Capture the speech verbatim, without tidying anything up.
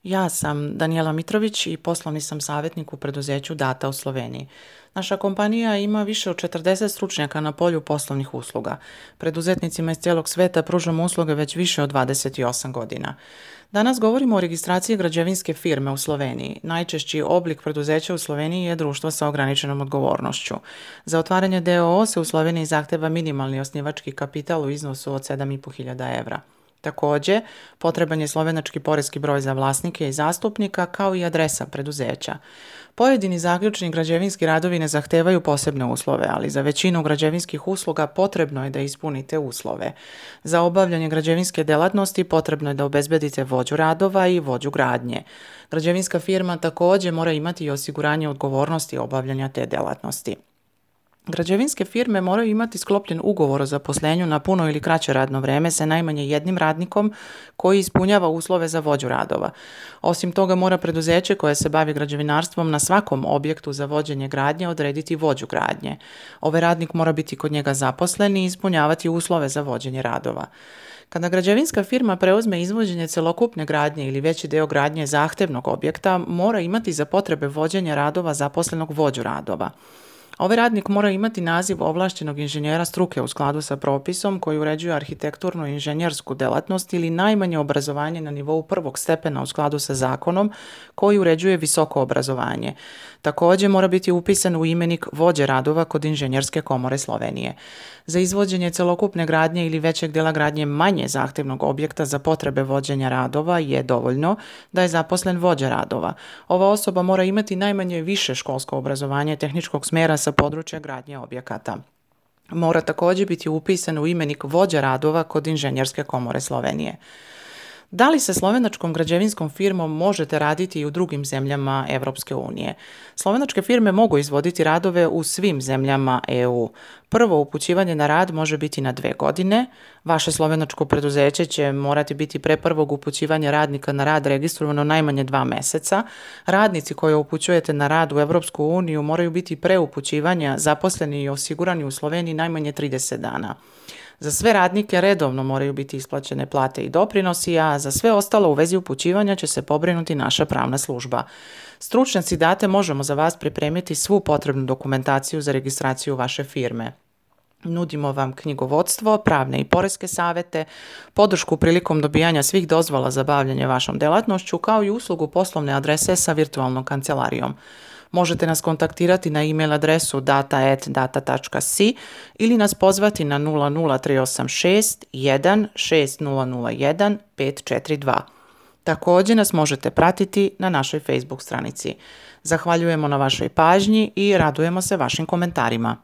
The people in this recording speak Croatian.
Ja sam Danijela Mitrović i poslovni sam savjetnik u preduzeću Data u Sloveniji. Naša kompanija ima više od četrdeset stručnjaka na polju poslovnih usluga. Preduzetnicima iz cijelog sveta pružamo usluge već više od dvadeset osam godina. Danas govorimo o registraciji građevinske firme u Sloveniji. Najčešći oblik preduzeća u Sloveniji je društvo sa ograničenom odgovornošću. Za otvaranje d o o se u Sloveniji zahteva minimalni osnivački kapital u iznosu od sedam i po hiljada evra. Također, potreban je slovenački poreski broj za vlasnike i zastupnika, kao i adresa preduzeća. Pojedini zaključni građevinski radovi ne zahtevaju posebne uslove, ali za većinu građevinskih usluga potrebno je da ispunite uslove. Za obavljanje građevinske djelatnosti potrebno je da obezbedite vođu radova i vođu gradnje. Građevinska firma također mora imati i osiguranje odgovornosti obavljanja te djelatnosti. Građevinske firme moraju imati sklopljen ugovor o zaposlenju na puno ili kraće radno vrijeme sa najmanje jednim radnikom koji ispunjava uslove za vođu radova. Osim toga mora preduzeće koje se bavi građevinarstvom na svakom objektu za vođenje gradnje odrediti vođu gradnje. Ovaj radnik mora biti kod njega zaposlen i ispunjavati uslove za vođenje radova. Kada građevinska firma preuzme izvođenje celokupne gradnje ili veći dio gradnje zahtevnog objekta, mora imati za potrebe vođenja radova zaposlenog vođu radova. Ovaj radnik mora imati naziv ovlaštenog inženjera struke u skladu sa propisom koji uređuje arhitekturnu i inženjersku djelatnost ili najmanje obrazovanje na nivou prvog stepena u skladu sa zakonom koji uređuje visoko obrazovanje. Također mora biti upisan u imenik vođe radova kod Inženjerske komore Slovenije. Za izvođenje celokupne gradnje ili većeg dijela gradnje manje zahtjevnog objekta za potrebe vođenja radova je dovoljno da je zaposlen vođa radova. Ova osoba mora imati najmanje više školsko obrazovanje tehničkog smjera sa područja gradnje objekata. Mora također biti upisan u imenik vođa radova kod Inženjerske komore Slovenije. Da li se slovenačkom građevinskom firmom možete raditi i u drugim zemljama Europske unije? Slovenačke firme mogu izvoditi radove u svim zemljama e u. Prvo upućivanje na rad može biti na dve godine. Vaše slovenačko preduzeće će morati biti pre prvog upućivanja radnika na rad registrovano najmanje dva meseca. Radnici koje upućujete na rad u Europsku uniju moraju biti pre upućivanja zaposleni i osigurani u Sloveniji najmanje trideset dana. Za sve radnike redovno moraju biti isplaćene plate i doprinosi, a za sve ostalo u vezi upućivanja će se pobrinuti naša pravna služba. Stručnjaci Date možemo za vas pripremiti svu potrebnu dokumentaciju za registraciju vaše firme. Nudimo vam knjigovodstvo, pravne i poreske savjete, podršku prilikom dobijanja svih dozvola za bavljanje vašom djelatnošću, kao i uslugu poslovne adrese sa virtualnom kancelarijom. Možete nas kontaktirati na e-mail adresu data at data tačka si ili nas pozvati na nula nula tri osam šest jedan šest nula nula jedan pet četiri dva. Također nas možete pratiti na našoj Facebook stranici. Zahvaljujemo na vašoj pažnji i radujemo se vašim komentarima.